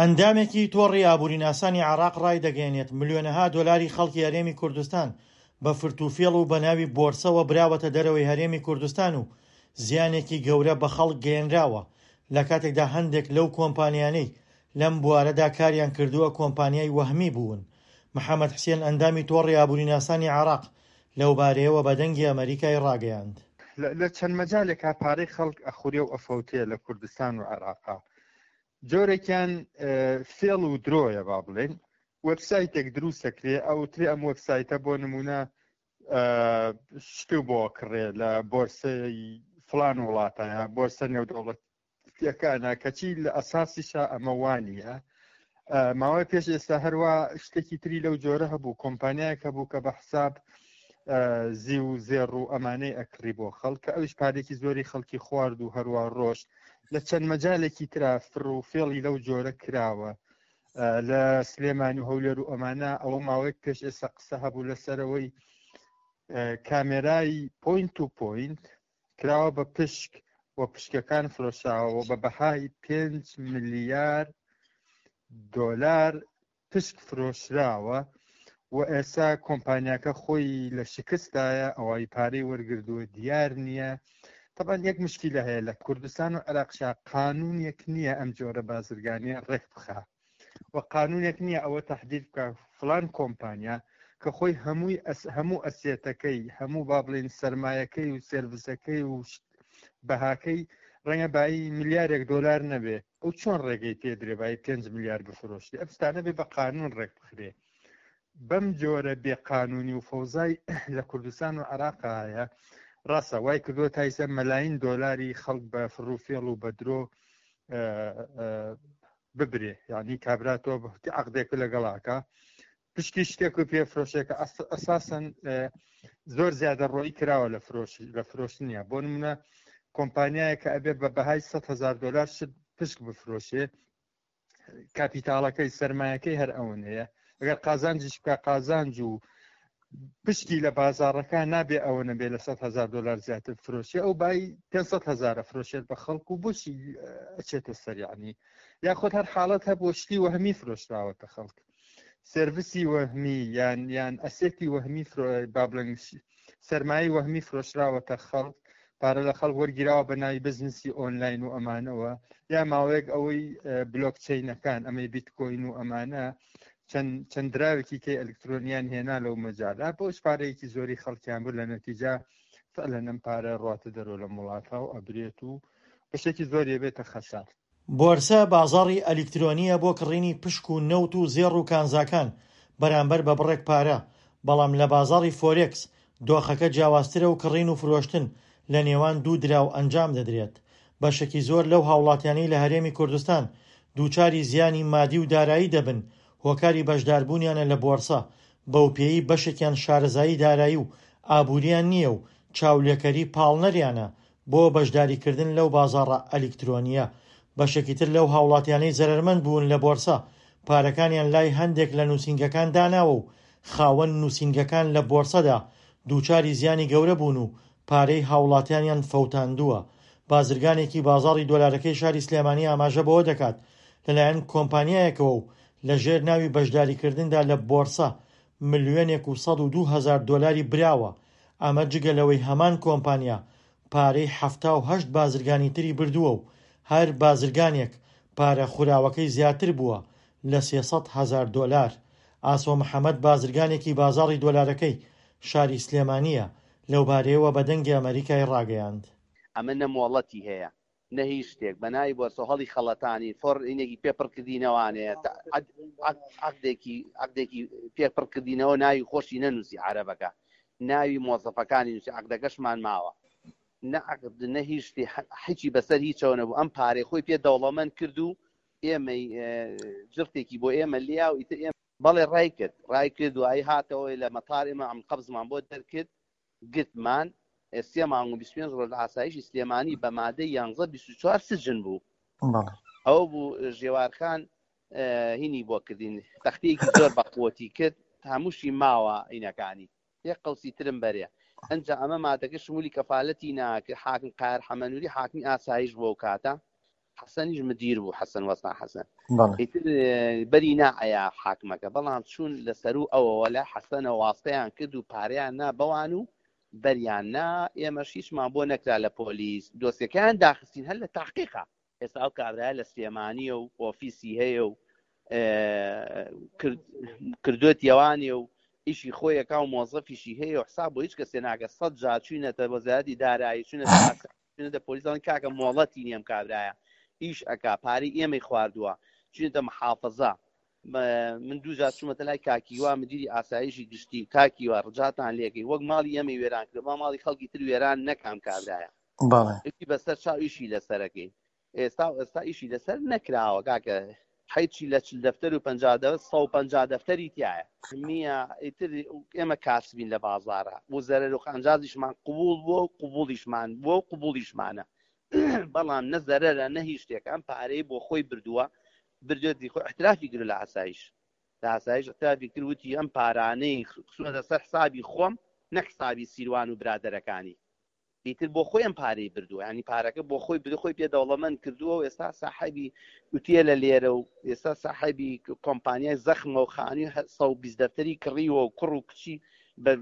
ئەندامێکی تۆڕی ئابووریناسانی عێراق ڕایدەگەیەنێت، ملیۆنەها دۆلاری خەڵکی هەرێمی کوردستان بە فرتوفێڵ و بەناوی بۆرسەوە براوەتە دەرەوەی هەرێمی کوردستان و زیانێکی گەورە بە خەڵک گەیەنراوە، لەکاتێکدا هەندێک لەو کۆمپانیانەی لەم بوارەدا کاریان کردووە کۆمپانیای وەهمی بوون. محەمەد حسێن ئەندامی تۆڕی ئابووریناسانی عێراق لەوبارەیەوە بە دەنگی ئەمەریکای ڕاگەیاند. لە چەند مەجالێکا پارەی خەڵک ئەخورێ و ئەفەوتێ لە کوردستان و عێراقا. جۆرێکیان فێڵ و درۆیە با بڵێین وەبسایتێک دروست دەکرێ ئەوترێ ئەم وەبسایتە بۆ نمونە شت بۆ کڕێ لە بۆرسەی فلان وڵاتە یا بۆرسە نێودەوڵەتیەکانە کەچی لە ئەساسیشا ئەمە وانە ماوەی پێش ئێستا هەروە شتێکی تری لەو جۆرە هەبوو کۆمپانیایەک هەبوو کە بە حساب زیو و زێڕ و ئەمانەی ئەکڕی بۆ خەڵک کە ئەویش پارێکی زۆری خەڵکی خوارد و هەروە ڕۆشت لە چەند مەجالێکی ترا فڕ و فێڵی لەو جۆرە کراوە لە سلێمانی و هەولێر و ئەمانە ئەوە ماوەیەک پێش ئێستا قسە هەبوو لەسەرەوەی کامێرای پوینت و پوینت کراوە بە پشک و پشکەکان فرۆشاوە بە بەهای 5 ملیار دۆلار پشک فرۆشراوە و ئێستا کۆمپانیاکە خۆی لە شکستدایە ئەوای پارەی وەرگردووە دیار نییە تەبعەن یەک مشکیلە هەیە لە کوردستان و عێراقشا قانونێک نییە ئەم جۆرە بازرگانیە ڕێک بخا و قانونێک نییە ئەوە تهدید بکە فلان کۆمپانیا کە خۆی هەمووی هەموو ئەسێتەکەی هەموو با بڵین سرمایەکەی و سێرڤسەکەی و بەهاکەی ڕەنگە بایی ملیارێک دۆلار نەبێ ئەو چۆن ڕێگەی پێ درێ بای 5 ملیار بفرۆشی ئەم شتانە بێ بە قانون ڕێک بخرێ بەم جۆرە بێ قانونی و فەوزای لە کوردستان و عراق هەیە ڕاستە وای کردووە تایسە مەلاین دۆلاری خەڵک بە فڕوفێڵ و بە درۆ ببرێ یعنی کابرا تۆ عقدێک لەگەڵاکە پشکی شتێک و پێ فرۆشێکە ئەساسەن زۆر زیادە ڕۆی کراوە لە فرۆش لە فرۆشتنیە بۆ نمونە کۆمپانیایە کە ئەبێ بە بەهای 100 هزار دلار شت پشک بفرۆشێ کاپیتاڵەکەی سرمایەکەی هەر ئەوەنەیە ئەگەر قازانجیش بکە قازانج و پشکی لە بازاڕەکە نابێ ئەوە نەبێ لە 100 هزار دلار زیاتر فرۆشێ ئەو بای 500 هزارە فرۆشێت بە خەڵک و بۆچی ئەچێتە سەریانی یاخود هەر حاڵەت هەبوو شتی وەهمی فرۆشراوەتە خەڵک سێرڤسی وەهمی یان یان ئەسێتی وەهمی با بڵێن سەرمایەی وەهمی فرۆشراوەتە خەڵک پارە لە خەڵک وەرگیراوە بە ناوی بزنسی ئۆنلاین و ئەمانەوە یا ماوەیەک ئەوەی بلۆکچەینەکان ئەمەی بیتکۆین و ئەمانە چەند چەند دراوێکی کەی ئەلکترۆنیان هێنا لەو مەجالە بۆ پارەیەکی زۆری خەڵکیان بوو لە نەتیجە فعلەن ئەم پارە ڕاتە دەرەوە لە وڵاتە و ئەبرێت و بەشێکی زۆری بێتە خەسار. بۆرسە بازاڕی ئەلیکترۆنییە بۆ کڕینی پشک و نەوت و زێڕ و کانزاکان بەرامبەر بە بڕێک پارە، بەڵام لە بازاڕی فۆرێکس دۆخەکە جیاوازترە و کڕین و فرۆشتن لە نێوان دوو دراو ئەنجام دەدرێت. بەشێکی زۆر لەو هاوڵاتیانەی لە هەرێمی کوردستان دووچاری زیانی مادی و دارایی دەبن هۆکاری بەشداربوونیانە لە بۆرسە، بەوپێیەی بەشێکیان شارەزایی دارایی و ئابوورییان نییە و چاولێکەری پاڵنەریانە بۆ بەشداریکردن لەو بازاڕە ئەلیکترۆنییە، بەشێکی تر لەو هاوڵاتیانەی زەرەرمەند بوون لە بۆرسە، پارەکانیان لای هەندێک لە نووسینگەکان داناوە و خاوەن نووسینگەکان لە بۆرسەدا دووچاری زیانی گەورە بوون و پارەی هاوڵاتیانیان فەوتاندووە. بازرگانێکی بازاڕی دۆلارەکەی شاری سلێمانی ئاماژە بەوە دەکات، لەلایەن کۆمپانیایەکەوە و لەژێر ناوی بەشداریکردندا لە بۆرسە ملیۆنێک و 102 هەزار دۆلاری براوە، ئەمە جگە لەوەی هەمان کۆمپانیا پارەی 78 بازرگانی تری بردووە و هەر بازرگانێک پارە خوراوەکەی زیاتر بووە لە 300 هەزار دۆلار. ئاسۆ محەمەد بازرگانێکی بازاڕی دۆلارەکەی شاری سلێمانییە، لەوبارەیەوە بە دەنگی ئەمەریکای ڕاگەیاند. ئەمە نە مۆڵەتی هەیە نە هیچ شتێک بە ناوی بۆرسە هەڵی خەڵەتانین فۆر ئینێکی پێ پڕ کردینەوانێ عەقدێکی عەقدێکی پێ پڕ کردینەوە ناوی خۆشی نەنووسی عەرەبەکە ناوی مۆزەفەکانی نووسی عەقدەکەشمان ماوە نە عەقد نە هیچ شتێ هیچی بەسەر هیچەوە نەبوو ئەم پارەی خۆی پێ دەوڵەمەند کرد و ئێمەی جرتێکی بۆ ئێمە لیا و ئیتر ئێمە بەڵێ ڕای کرد ڕای کرد دوایی هاتەوە لە مەتار ئێمە ئەم قەبزمان بۆ دەرکرد گرتمان، سێ مانگ و 25 ڕۆژ لە ئاسایشی سلێمانی بە مادەی یانزە 24 سجن بوو. بەڵێ. ئەوە بوو ژێوارخان هینی بۆ کردین تەختەیەکی زۆر بەقوەتی کرد هەمووشی ماوە هینەکانی یەک قەوسی ترم بەرێ ئەنجا ئەمە مادەکە شمولی کەفالەتی ناکرد حاکم قاهر حەمەنوری حاکمی ئاسایش بوو ئەو کاتە. حەسەنیش مدیر بوو حەسەن وەستا حەسەن ئیتر بەری نائەیا حاکمەکە بەڵام چوون لە سەرو ئەوەوە لە حەسەنە واستەیان کرد و پارەیان نا بەوان و بەریان نا ئێمەش هیچمان بۆ نەکرا لە پۆلیس دۆسیەکەیان داخستین هەر لە تاقیقا ئێستا ئەو کابرایە لە سلێمانیە و ئۆفیسی هەیە و کردوێتیەوانێ و ئیشی خۆیەکە و مۆزەفیشی هەیە و حساب بۆ هیچ کەسێ ناکە سە جار چوینەتە وەزارەتی دارایی چوینەتە چوینەتە پۆلیس دەڵێن کاکە مۆڵەتی نییە ئەم کابرایە ئیش ئەکا پارەی ئێمەی خواردووە چوینەتە محافزە من دوو جار چوومەتە لای کاکیوا مدیری ئاسایشی گشتی کاکیوا ڕجاتان لێکەی وەک ماڵی ئێمەی وێران کرد با ماڵی خەڵکی تر وێران نەکام کابرایە بەڵێ بەسەر چاو ئیشی لەسەرەکەی ئێستا و ئێستا ئیشی لەسەر نەکراوە کاکە حیچی لە چل دەفتەر و 50 دەفتەر 150 دەفتەری تایە نییە ئیتر ئێمە کاسبین لە بازارە و زەرەر و قانجازیشمان قبوڵ بووە و قبوڵیشمان بووە و قبوڵیشمانە بەڵام نە زەرەرە نە هیچ شتێک ئەم پارەی بۆ خۆی بردووە بردوێتی خۆ احترافی کرد لە ئاسایش لە ئاسایش احترافی کرد وتی ئەم پارانەی خستوونەتە سەر حسابی خۆم نەک حسابی سیروان و برادەرەکانی ئیتر بۆ خۆی ئەم پارەی بردووە ینی پارەکە بۆ خۆی بردو خۆی پێ دەوڵەمەند کردووە و ئێستا ساحەبی ئوتێلە لێرە و ئێستا ساحەبی کۆمپانیای زەخمە و خانی 120 دەفتەری کڕیوە و کوڕ و کچی بە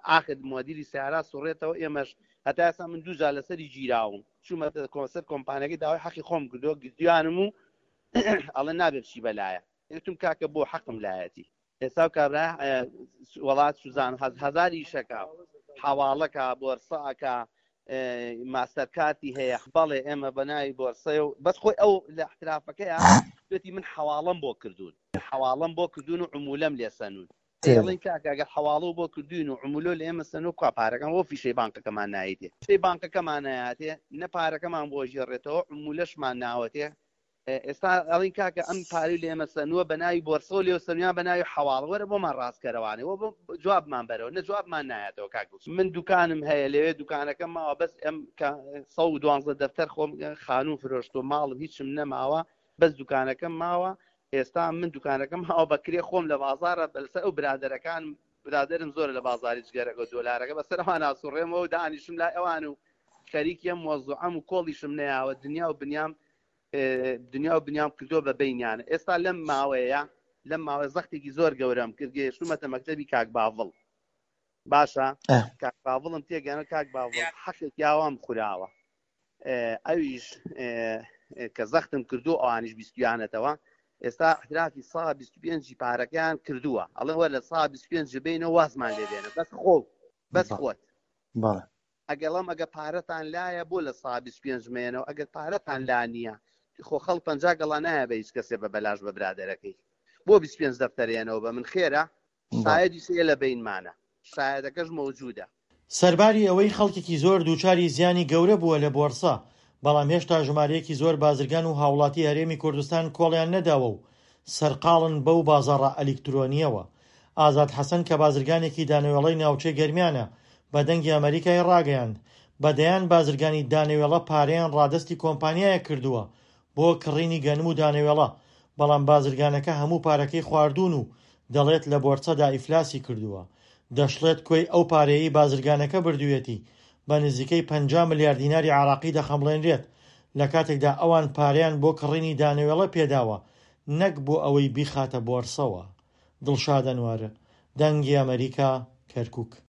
ئاخر مۆدیلی سیارا سوڕێتەوە ئێمەش هەتا ئێستا من دوو جار لەسەری گیراوم چوومە کۆنسەر کۆمپانیەکەی داوای حەقی خۆم کردووە گرتویانم و ئەڵێ نابێ بچی بەلایە وتم کاکە بۆ حەقم لایەتی ئێستا و کابرا وڵات سوزان هەزار ئیشەکە حواڵەکە بۆرسەکە ماستەرکارتی هەیە بەڵێ ئێمە بە ناوی بۆرسەیە و بەس خۆی ئەو لە احترافەکەیە وتی من حواڵم بۆ کردوون حواڵم بۆ کردوون و عمولەم لێسەنون ئەڵێن کاکە ئەگەر حواڵە بۆ کردوین و عمولۆ لە ئێمە سەنو کوا پارەکان بۆ فیشەی بانکەکەمان نایتێ فیشەی بانکەکەمان نایاتێ نە پارەکەمان بۆ ژێڕێتەوە عمولەشمان ناوەتێ ئێستا ئەڵین کاکە ئەم پارەی لە ئێمە سەنووە بە ناوی بۆرسەوە لێو سەنویان بە ناوی حەواڵە وەرە بۆمان ڕاستکەرەوانێ وە بۆ جوابمان بەرەوە نە جوابمان نایەتەوە کاک دڵشاد. من دوکانم هەیە لەوێ دوکانەکەم ماوە بەس ئەم کە 112 دەفتەر خۆم خانوو فرۆشتووە ماڵم هیچم نەماوە بەس دوکانەکەم ماوە ئێستا من دوکانەکەم ماوە بە کرێ خۆم لە بازاڕە بەلسەر ئەو برادەرەکان برادەرم زۆرە لە بازاری جگەرەکە و دۆلارەکە بەسەر ئەوان ئاسوڕێمەوە و دانیشم لای ئەوان و خەریکی ئەم وەزعەم و کۆڵیشم نەیاوە دنیا و بنیام دنیا و بنیام کردووە بە بینیانە ئێستا لەم ماوەیە لەم ماوە زەختێکی زۆر گەورەم کرد گەیشتومەتە مەکتەبی کاک باڤڵ باشە کاک باڤڵم تێگەنە کاک باڤڵ حەقێک یاوام خوراوە ئەویش کە زەختم کردو ئەوانیش بیستویانەتەوە ئێستا احترافی سا 25 پارەکەیان کردووە ئەڵێ وە لە سا 25 بینەوە وازمان لێبێنە بەس خۆ بەس خۆت ئەگەڵم ئەگە پارەتان لایە بۆ لە سا 25 مێنەوە ئەگەر پارەتان لا نییە خۆ خەڵ پ گەڵا نایە بە هیچ کەسێ بە بەلاش بە برادەرەکەی بۆ 25 دەفتەرێنەوە بە من خێرە شایەدیش هەیە لە بەینمانە شایەدەکەش مەوجودە. سەرباری ئەوەی خەڵکێکی زۆر دووچاری زیانی گەورە بووە لە بۆرسە، بەڵام هێشتا ژمارەیەکی زۆر بازرگان و هاوڵاتی هەرێمی کوردستان کۆڵیان نەداوە و سەرقاڵن بەو بازاڕە ئەلیکترۆنییەوە. ئازاد حەسەن کە بازرگانێکی دانەوێڵەی ناوچەی گەرمیانە، بە دەنگی ئەمەریکای ڕاگەیاند، بە دەیان بازرگانی دانەوێڵە پارەیان ڕادەستی کۆمپانیایەک کردووە بۆ کڕینی گەنم و دانەوێڵە، بەڵام بازرگانەکە هەموو پارەکەی خواردوون و دەڵێت لە بۆرسەدا ئیفلاسی کردووە. دەشڵێت کۆی ئەو پارەیەی بازرگانەکە بردوویەتی بە نزیکەی 50 ملیار دیناری عێراقی دەخەمڵێنرێت، لەکاتێکدا ئەوان پارەیان بۆ کڕینی دانەوێڵە پێداوە نەک بۆ ئەوەی بیخاتە بۆرسەوە. دڵشاد ئەنوەر، دەنگی ئەمەریکا، کەرکوک.